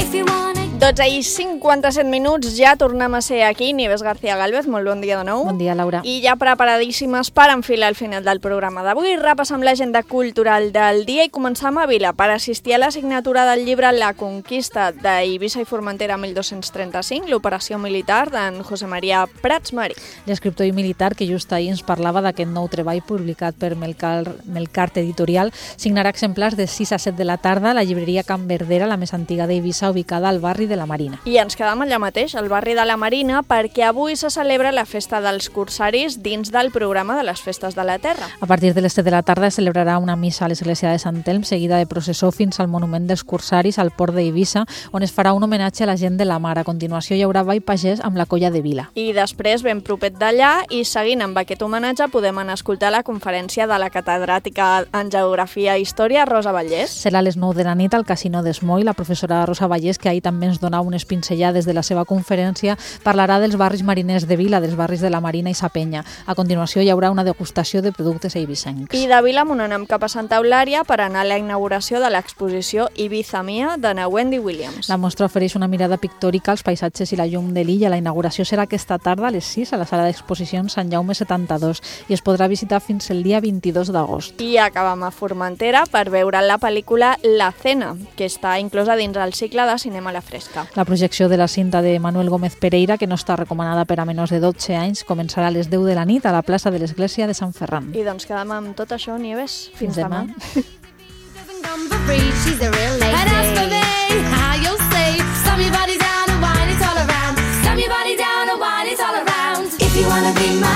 If you want it... 12 i 57 minuts, ja tornem a ser aquí. Nieves García Gálvez, molt bon dia de nou. Bon dia, Laura. I ja preparadíssimes per enfilar al final del programa d'avui. Repassam l'agenda cultural del dia i començam a Vila per assistir a la signatura del llibre La conquista d'Eivissa i Formentera 1235, l'operació militar d'en José María Prats Marí. L'escriptor i militar que just ahir ens parlava d'aquest nou treball publicat per Melcart Editorial signarà exemplars de 6 a 7 de la tarda a la llibreria Can Verdera, la més antiga d'Eivissa, ubicada al barri de la Marina. I ens quedam allà mateix, al barri de la Marina, perquè avui se celebra la festa dels corsaris dins del programa de les festes de la Terra. A partir de les 7 de la tarda es celebrarà una missa a l'església de Sant Elm, seguida de processó fins al monument dels corsaris al port d'Eivissa, on es farà un homenatge a la gent de la mar. A continuació hi haurà ball pagès amb la colla de Vila. I després, ben propet d'allà, i seguint amb aquest homenatge, podem anar a escoltar la conferència de la catedràtica en Geografia i Història, Rosa Vallès. Serà a les 9 de la nit al Casino d'Esmoi. La professora Rosa Vallès, que ahir també ens donava donar unes pinzellades de la seva conferència, parlarà dels barris mariners de Vila, dels barris de la Marina i Sa Penya. A continuació hi haurà una degustació de productes eivissencs. I de Vilamunt anem cap a Santa Eulària per anar a la inauguració de l'exposició Ibiza Mia de na Wendy Williams. La mostra ofereix una mirada pictòrica als paisatges i la llum de l'illa. La inauguració serà aquesta tarda a les 6 a la sala d'exposicions Sant Jaume 72 i es podrà visitar fins el dia 22 d'agost. I acabam a Formentera per veure la pel·lícula La Cena, que està inclosa dins el cicle de cinema a la fresca. La projecció de la cinta de Manuel Gómez Pereira, que no està recomanada per a menors de 12 anys, començarà a les 10 de la nit a la plaça de l'Església de Sant Ferran. I doncs quedem amb tot això, Nieves. Fins demà.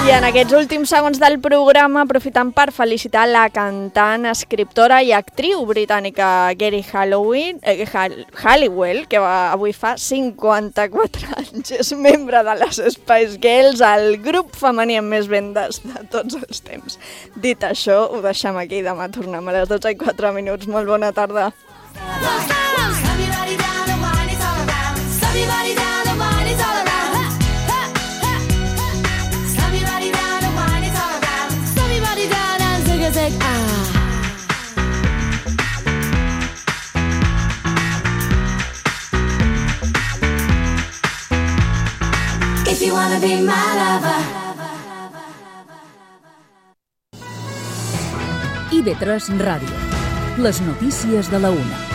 I en aquests últims segons del programa, aprofitant per felicitar la cantant, escriptora i actriu britànica Geri Halliwell, que avui fa 54 anys. És membre de les Spice Girls, el grup femení amb més vendes de tots els temps. Dit això, ho deixem aquí. Demà tornem a les 12:04. Molt bona tarda. If you wanna be my lover. IB3 Ràdio. Les notícies de la 1.